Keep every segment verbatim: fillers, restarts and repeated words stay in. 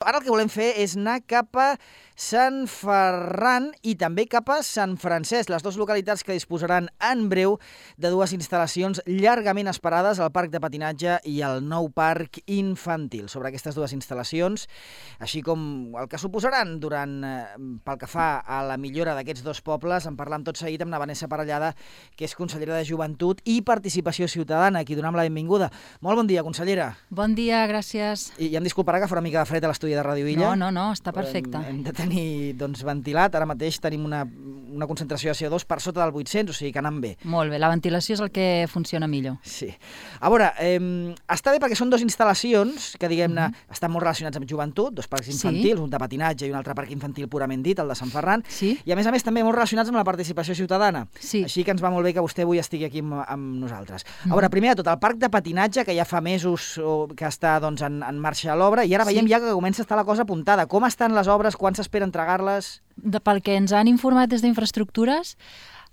Ara el que volem fer és anar cap a Sant Ferran i també cap a Sant Francesc, les dues localitats que disposaran en breu de dues instal·lacions llargament esperades, el parc de patinatge i el nou parc infantil. Sobre aquestes dues instal·lacions, així com el que suposaran durant, pel que fa a la millora d'aquests dos pobles, en parlam tot seguit amb la Vanessa Parellada, que és consellera de Joventut i Participació Ciutadana, a qui donem la benvinguda. Molt bon dia, consellera. Bon dia, gràcies. I ja em disculparà que farà una mica de fred a l'estudi de Ràdio Illa. No, no, no, està perfecte. Hem, hem de tenir doncs, ventilat. Ara mateix tenim una, una concentració de C O dos per sota del vuit-cents, o sigui que anant bé. Molt bé, la ventilació és el que funciona millor. Sí. A veure, eh, està bé perquè són dues instal·lacions que, diguem-ne, mm-hmm. estan molt relacionats amb joventut, dos parcs infantils, sí. Un de patinatge i un altre parc infantil purament dit, el de Sant Ferran, sí. I a més a més també molt relacionats amb la participació ciutadana. Sí. Així que ens va molt bé que vostè avui estigui aquí amb, amb nosaltres. A veure, primer de tot, el parc de patinatge, que ja fa mesos que està doncs, en, en marxa l'obra, i ara veiem sí. ja que comença a estar la cosa apuntada. Com estan les obres? Quan s'espera entregar-les? De, pel que ens han informat des d'Infraestructures,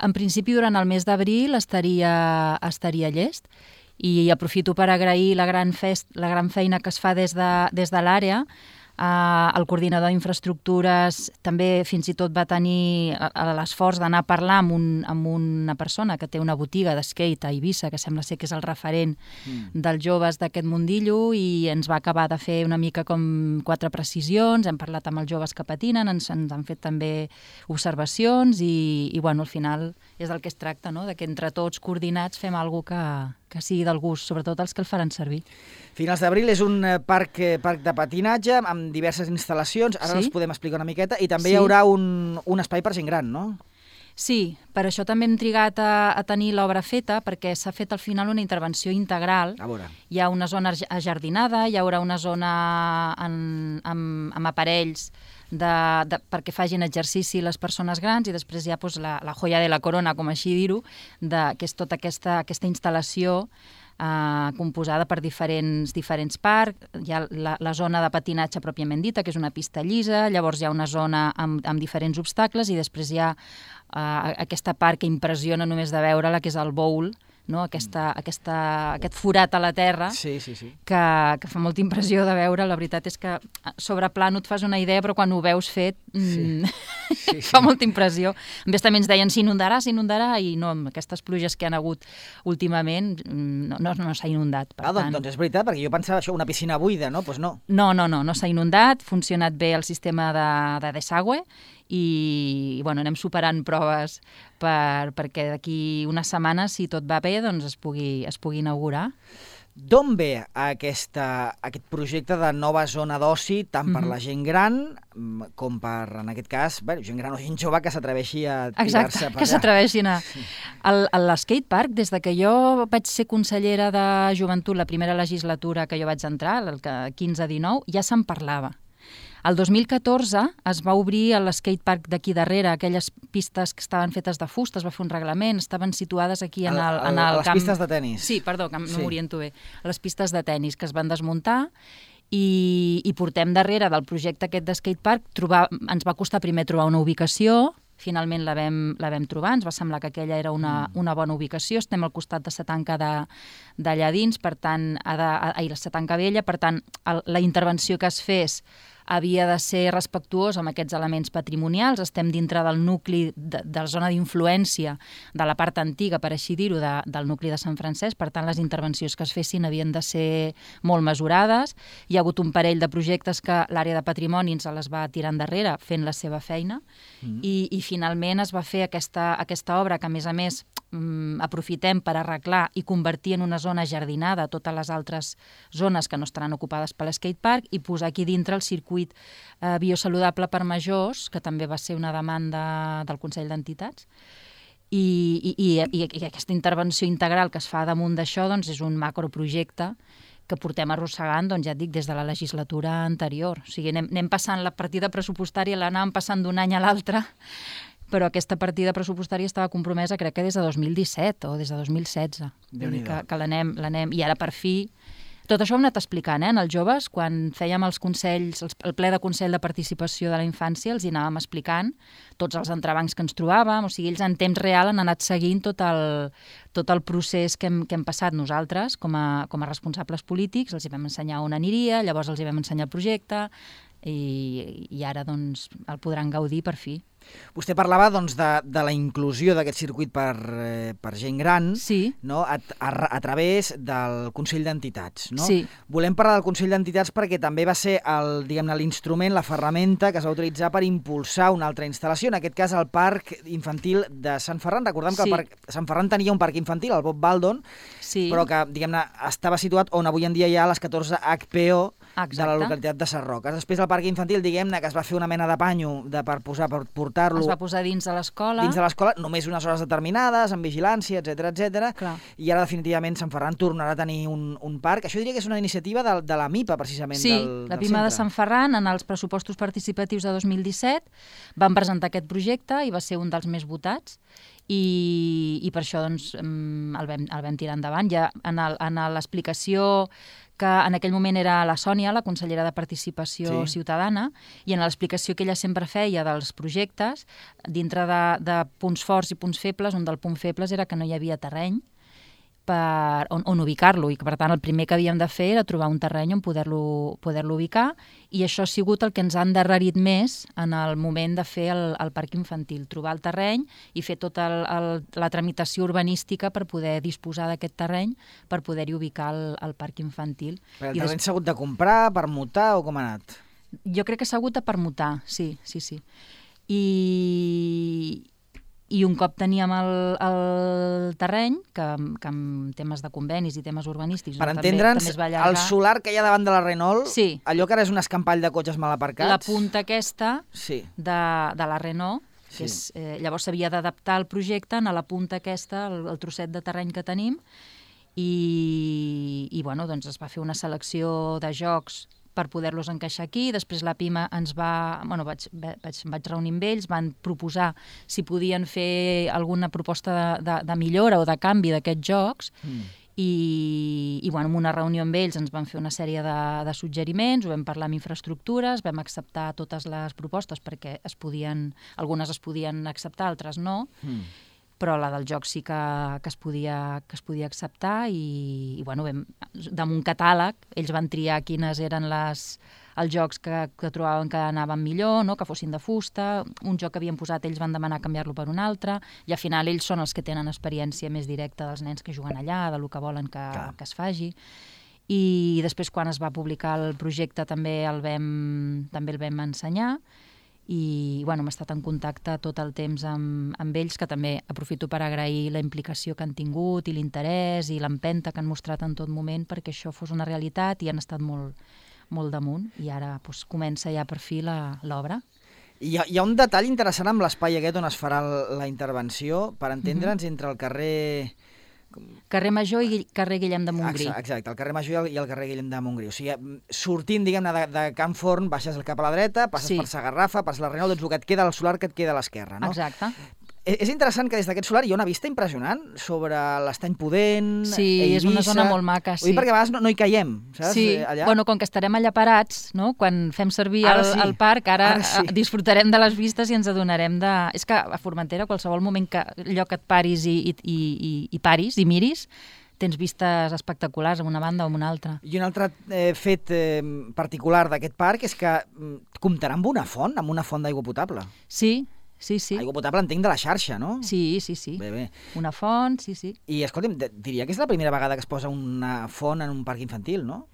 en principi durant el mes d'abril estaria, estaria llest, i aprofito per agrair la gran, fest, la gran feina que es fa des de, des de l'àrea. Uh, el coordinador d'Infraestructures també fins i tot va tenir l'esforç d'anar a parlar amb, un, amb una persona que té una botiga d'skate a Eivissa, que sembla ser que és el referent mm. dels joves d'aquest mundillo, i ens va acabar de fer una mica com quatre precisions, hem parlat amb els joves que patinen, ens, ens han fet també observacions i, i bueno, al final és del que es tracta, no? De que entre tots coordinats fem alguna cosa que, que sigui del gust, sobretot els que el faran servir. Finals d'abril és un parc, parc de patinatge amb diverses instal·lacions, ara sí? Els podem explicar una miqueta, i també sí. Hi haurà un, un espai per gent gran, no? Sí, per això també hem trigat a, a tenir l'obra feta, perquè s'ha fet al final una intervenció integral. A veure. Hi ha una zona ajardinada, hi haurà una zona en, amb, amb aparells de, de, perquè facin exercici les persones grans, i després hi ha pues, la, la joia de la corona, com així dir-ho, que és tota aquesta, aquesta instal·lació Uh, composada per diferents, diferents parcs. Hi ha la, la zona de patinatge pròpiament dita, que és una pista llisa, llavors hi ha una zona amb, amb diferents obstacles, i després hi ha uh, aquesta part que impressiona només de veure-la, que és el bowl, no? aquesta, aquesta, aquest forat a la terra, sí, sí, sí. Que, que fa molta impressió de veure. La veritat és que sobre pla no et fas una idea, però quan ho veus fet sí. mm, sí, sí. fa molta impressió. A més, també ens deien s'inundarà, s'inundarà, i no, amb aquestes pluges que han hagut últimament no, no, no s'ha inundat. Per ah, doncs, tant... doncs és veritat, perquè jo pensava això, una piscina buida, no? Pues no. No, no, no, no s'ha inundat, ha funcionat bé el sistema de, de desagüe, i bueno, anem superant proves per, perquè d'aquí unes setmanes, si tot va bé, doncs es pugui, es pugui inaugurar. D'on ve aquesta, aquest projecte de nova zona d'oci, tant per mm-hmm. la gent gran com per, en aquest cas, bé, gent gran o gent jove que s'atreveixi a tirar-se per allà? Exacte, que s'atreveixin a... L'skatepark, des de que jo vaig ser consellera de Joventut la primera legislatura que jo vaig entrar, el quinze dinou, ja se'n parlava. El dos mil catorze es va obrir l'eskatepark d'aquí darrere, aquelles pistes que estaven fetes de fusta, es va fer un reglament, estaven situades aquí en el, en el les camp... Les pistes de tennis. Sí, perdó, que sí. no m'oriento bé. Les pistes de tennis que es van desmuntar, i, i portem darrere del projecte aquest d'skatepark, trobar, ens va costar primer trobar una ubicació, finalment la vam, la vam trobar, ens va semblar que aquella era una, una bona ubicació, estem al costat de Satanca d'allà dins, per tant, ha de, ai, la Satanca Vella, per tant, el, la intervenció que es fes havia de ser respectuós amb aquests elements patrimonials. Estem dintre del nucli, de, de la zona d'influència de la part antiga, per així dir-ho, de, del nucli de Sant Francesc. Per tant, les intervencions que es fessin havien de ser molt mesurades. Hi ha hagut un parell de projectes que l'àrea de patrimoni ens les va tirar endarrere fent la seva feina, mm. i, i finalment es va fer aquesta, aquesta obra que, a més a més, mm, aprofitem per arreglar i convertir en una zona jardinada totes les altres zones que no estaran ocupades per l'eskatepark, i posar aquí dintre el circuit Eh, biosaludable per majors, que també va ser una demanda del Consell d'Entitats, i, i, i, i aquesta intervenció integral que es fa damunt d'això doncs, és un macroprojecte que portem arrossegant, doncs, ja et dic, des de la legislatura anterior. O sigui, anem, anem passant la partida pressupostària, l'anàvem passant d'un any a l'altre, però aquesta partida pressupostària estava compromesa, crec que des de dos mil disset o des de dos mil setze. Que, que l'anem, l'anem, i ara per fi... Tot això ho hem anat explicant, eh, als joves, quan fèiem els consells, el ple de Consell de Participació de la Infància, els hi anàvem explicant tots els entrebancs que ens trobàvem, o sigui, ells en temps real han anat seguint tot el, tot el procés que hem, que hem passat nosaltres com a, com a responsables polítics, els hi vam ensenyar on aniria, llavors els hi vam ensenyar el projecte, i, i ara doncs, el podran gaudir per fi. Vostè parlava doncs, de, de la inclusió d'aquest circuit per, eh, per gent gran, sí. no? a, a, a través del Consell d'Entitats. No? Sí. Volem parlar del Consell d'Entitats perquè també va ser el, diguem-ne, l'instrument, la ferramenta que es va utilitzar per impulsar una altra instal·lació, en aquest cas el Parc Infantil de Sant Ferran. Recordem que sí. el parc, Sant Ferran tenia un parc infantil, el Bob Baldon, sí. però que diguem-ne estava situat on avui en dia hi ha les catorze H P O Exacte. de la localitat de Sarroques. Després el parc infantil, diguem-ne, que es va fer una mena de panyo de, per posar, per portar-lo... Es va posar dins de l'escola. Dins de l'escola, només unes hores determinades, amb vigilància, etcètera, etcètera. I ara definitivament Sant Ferran tornarà a tenir un, un parc. Això diria que és una iniciativa de, de la MIPA, precisament, sí, del, del la PIMA centre. de Sant Ferran, en els pressupostos participatius de dos mil disset, van presentar aquest projecte i va ser un dels més votats. I, i per això doncs, el, vam, el vam tirar endavant. Ja en l'explicació que en aquell moment era la Sònia, la consellera de Participació sí. Ciutadana, i en l'explicació que ella sempre feia dels projectes, dintre de, de punts forts i punts febles, un dels punts febles era que no hi havia terreny per, on, on ubicar-lo, i que per tant el primer que havíem de fer era trobar un terreny on poder-lo poder-lo ubicar, i això ha sigut el que ens ha endarrerit més en el moment de fer el, el parc infantil, trobar el terreny i fer tota el, el, la tramitació urbanística per poder disposar d'aquest terreny per poder-hi ubicar el, el parc infantil. Però el terreny s'ha hagut de comprar, permutar o com ha anat? Jo crec que s'ha hagut de permutar, sí, sí, sí. I... I un cop teníem el, el terreny, que, que amb temes de convenis i temes urbanístics... Per no, entendre'ns, també, també allargar... el solar que hi ha davant de la Renault, sí. allò que ara és un escampall de cotxes mal aparcats... La punta aquesta sí. de, de la Renault, que sí. és, eh, llavors s'havia d'adaptar el projecte a la punta aquesta, el, el trosset de terreny que tenim, i, i bueno, doncs es va fer una selecció de jocs per poder-los encaixar aquí. Després la PIMA ens va... Bueno, vaig, vaig, vaig reunir amb ells, van proposar si podien fer alguna proposta de, de, de millora o de canvi d'aquests jocs, mm. i, i bueno, en una reunió amb ells ens van fer una sèrie de, de suggeriments, ho vam parlar amb infraestructures, vam acceptar totes les propostes perquè es podien, algunes es podien acceptar, altres no, mm. però la del joc sí que, que, es, podia, que es podia acceptar i, i bueno, vam, damunt catàleg ells van triar quines eren les, els jocs que, que trobaven que anaven millor, no? Que fossin de fusta, un joc que havien posat ells van demanar canviar-lo per un altre, i al final ells són els que tenen experiència més directa dels nens que juguen allà, de lo que volen que, que es faci. I després quan es va publicar el projecte també el vam, també el vam ensenyar, i bueno, hem estat en contacte tot el temps amb, amb ells, que també aprofito per agrair la implicació que han tingut i l'interès i l'empenta que han mostrat en tot moment perquè això fos una realitat, i han estat molt, molt damunt, i ara doncs, comença ja per fi l'obra. Hi ha, hi ha un detall interessant amb l'espai aquest on es farà la intervenció, per entendre'ns, mm-hmm. entre el carrer... Carrer Major i carrer Guillem de Montgrí. Exacte, exacte, el carrer Major i el, i el carrer Guillem de Montgrí. O sigui, sortint, diguem-ne, de, de Can Forn, baixes cap a la dreta, passes sí. per Sagarrafa, passes la Renault, doncs el que et queda al solar que et queda a l'esquerra, no? Exacte. És interessant que des d'aquest solar hi ha una vista impressionant sobre l'Estany Pudent, sí, Eivissa... és una zona molt maca, sí. Vull dir, perquè a vegades no, no hi caiem, saps? Sí, allà. Bueno, com que estarem allà parats, no? Quan fem servir el, sí. el parc, ara, ara sí. disfrutarem de les vistes i ens adonarem de... És que a Formentera, qualsevol moment que lloc et paris i, i, i, i paris i miris, tens vistes espectaculars amb una banda o amb una altra. I un altre eh, fet eh, particular d'aquest parc és que comptarà amb una font, amb una font d'aigua potable. Sí, sí, sí. Aigua potable entenc de la xarxa, no? Sí, sí, sí. Bé, bé. Una font, sí, sí. I, escolta'm, diria que és la primera vegada que es posa una font en un parc infantil, no?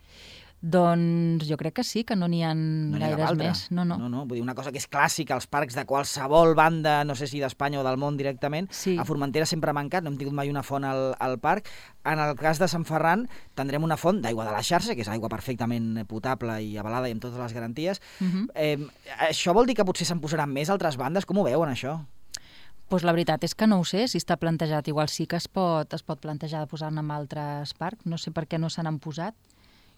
Doncs jo crec que sí, que no n'hi ha no gaires més. No, no. no, no. Vull dir, una cosa que és clàssica als parcs de qualsevol banda, no sé si d'Espanya o del món directament, sí. A Formentera sempre ha mancat, no hem tingut mai una font al, al parc. En el cas de Sant Ferran tindrem una font d'aigua de la xarxa, que és aigua perfectament potable i avalada i amb totes les garanties. Uh-huh. eh, això vol dir que potser se'n posaran més altres bandes? Com ho veuen, això? Pues la veritat és que no ho sé, si està plantejat. Igual sí que es pot, es pot plantejar de posar-ne en altres parcs. No sé per què no se n'han posat.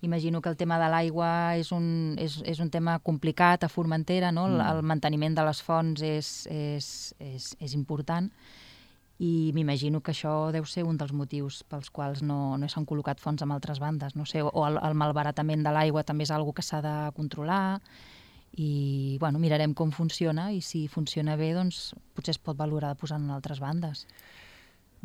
Imagino que el tema de l'aigua és, un, és, és un tema complicat a Formentera, no? Mm. El manteniment de les fonts és, és, és, és important, i m'imagino que això deu ser un dels motius pels quals no, no s'han col·locat fonts amb altres bandes. No sé, o el, el malbaratament de l'aigua també és una cosa que s'ha de controlar, i bueno, mirarem com funciona, i si funciona bé, doncs potser es pot valorar de posar en altres bandes.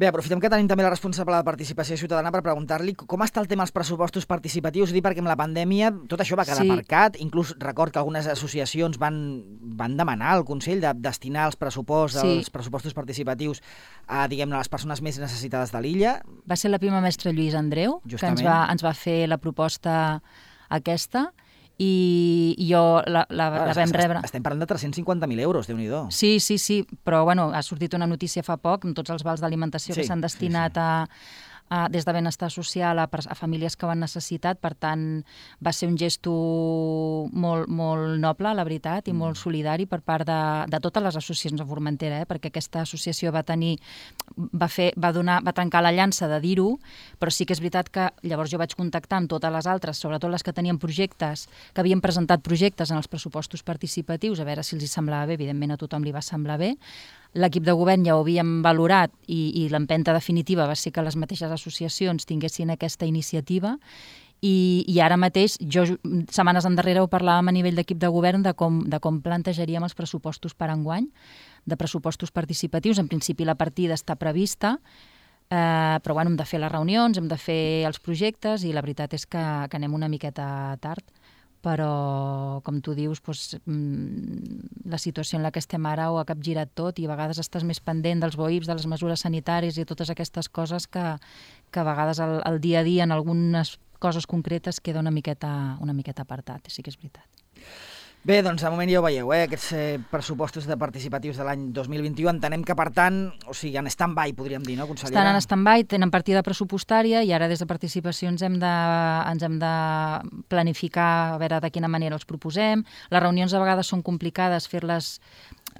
Bé, aprofitem que tenim també la responsable de Participació Ciutadana per preguntar-li com està el tema dels pressupostos participatius, dir perquè amb la pandèmia tot això va quedar Sí. aparcat, inclús record que algunes associacions van, van demanar al Consell de destinar els pressupostos, Sí. els pressupostos participatius a, diguem-ne, les persones més necessitades de l'illa. Va ser la prima mestra Lluís Andreu, Justament. que ens va, ens va fer la proposta aquesta, i, i jo la, la, Ah, la vam est- rebre. Estem parlant de tres-cents cinquanta mil euros, Déu-n'hi-do. Sí, sí, sí, però bueno, ha sortit una notícia fa poc amb tots els vals d'alimentació Sí, que s'han destinat sí, sí. a, a, des de benestar social a, pers- a famílies que ho han necessitat, per tant va ser un gesto molt, molt noble, la veritat, i molt solidari per part de, de totes les associacions de Formentera, eh? Perquè aquesta associació va tenir, va fer, va donar, va trencar la llança de dir-ho, però sí que és veritat que llavors jo vaig contactar amb totes les altres, sobretot les que tenien projectes, que havien presentat projectes en els pressupostos participatius, a veure si els hi semblava bé, evidentment a tothom li va semblar bé. L'equip de govern ja ho havíem valorat i, i l'empenta definitiva va ser que les mateixes associacions tinguessin aquesta iniciativa i, i ara mateix, jo setmanes endarrere ho parlàvem a nivell d'equip de govern de com, de com plantejaríem els pressupostos per enguany, de pressupostos participatius. En principi la partida està prevista, eh, però bueno, hem de fer les reunions, hem de fer els projectes i la veritat és que, que anem una miqueta tard. Però, com tu dius, doncs, la situació en la que estem ara ho ha capgirat tot i a vegades estàs més pendent dels B O I Ps, de les mesures sanitàries i totes aquestes coses que, que a vegades el, el dia a dia en algunes coses concretes queda una miqueta, una miqueta apartat, sí que és veritat. Bé, doncs de moment ja ho veieu, eh? Aquests eh, pressupostos de participatius de l'any dos mil vint-i-u entenem que, per tant, o sigui, en stand-by, podríem dir, no, consellera? Estan en stand-by, tenen partida pressupostària i ara des de participació ens hem de, ens hem de planificar a veure de quina manera els proposem. Les reunions a vegades són complicades fer-les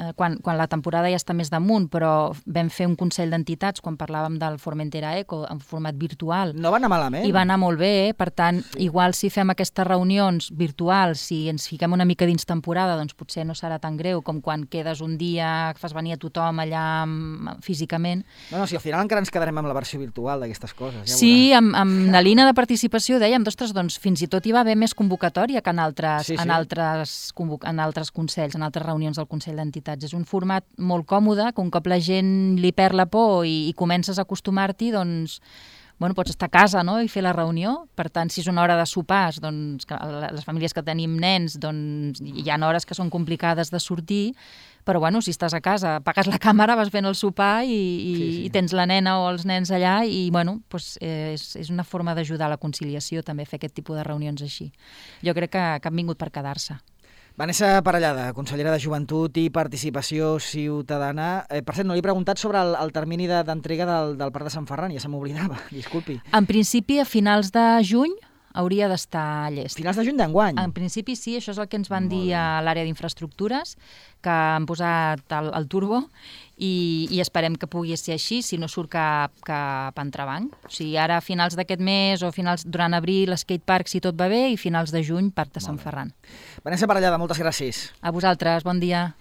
eh, quan, quan la temporada ja està més damunt, però vam fer un consell d'entitats quan parlàvem del Formentera Eco en format virtual. No va anar malament. I va anar molt bé, eh? Per tant, sí. Igual si fem aquestes reunions virtuals, si ens fiquem una mica dins temporada, doncs potser no serà tan greu com quan quedes un dia, fas venir a tothom allà físicament. No, no, si al final encara ens quedarem amb la versió virtual d'aquestes coses. Ja sí, amb, amb la línia de participació dèiem, ostres, doncs fins i tot hi va haver més convocatòria que en altres, sí, sí. En altres, en altres consells, en altres reunions del Consell d'Entitats. És un format molt còmode, que un cop la gent li perd la por i, i comences a acostumar-t'hi, doncs bueno, pots estar a casa, no?, i fer la reunió. Per tant, si és una hora de sopars, doncs, que les famílies que tenim nens, doncs, hi ha hores que són complicades de sortir, però bueno, si estàs a casa, apagues la càmera, vas fent el sopar i, i, sí, sí. i tens la nena o els nens allà i bueno, doncs, eh, és, és una forma d'ajudar a la conciliació també fer aquest tipus de reunions així. Jo crec que, que han vingut per quedar-se. Vanessa Parellada, consellera de Joventut i Participació Ciutadana. Eh, per cert, no li he preguntat sobre el, el termini de, d'entrega del, del Parc de Sant Ferran, ja se m'oblidava, disculpi. En principi, a finals de juny hauria d'estar llest. Finals de juny d'enguany? En principi sí, això és el que ens van dir a l'àrea d'infraestructures, que han posat el, el turbo i, i esperem que pugui ser així, si no surt cap, cap entrebanc. O sigui, ara a finals d'aquest mes o finals durant abril, skatepark, si tot va bé, i finals de juny, Parc de Sant Ferran. Vanessa Parellada, moltes gràcies. A vosaltres, bon dia.